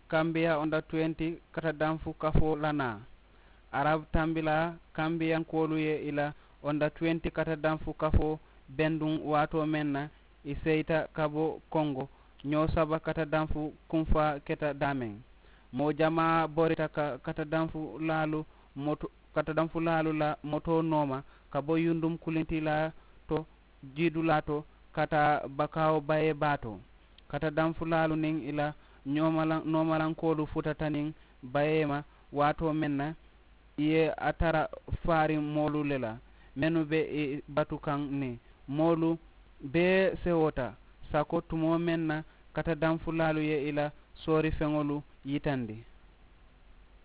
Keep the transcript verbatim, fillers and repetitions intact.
Kambiya onda tuwenti katadanfu kafoo la naa. Arab tambilaa kambiyankoolu ye i la onda tuwenti katadanfu kafoo benduŋ waatoo meŋ na, i seyita ka bo kongo ñoo saba katadanfu kunfaa keta daameŋ. Moo jamaa borita ka katadanfulaalu moto katadanfulaalu la motoo nooma ka bo yundum kulintilaa to jiidulaa to ka taa bakaawo bayee baa to. Katadanfulaalu niŋ i la ñoomalankoolu futata niŋ bayee ma waatoo meŋ na, i ye a tara faariŋ moolu le la mennu be i batu kaŋ niŋ moolu bee sewota sako tumoo meŋ na katadanfulaalu ye i la soorifeŋolu yitandi.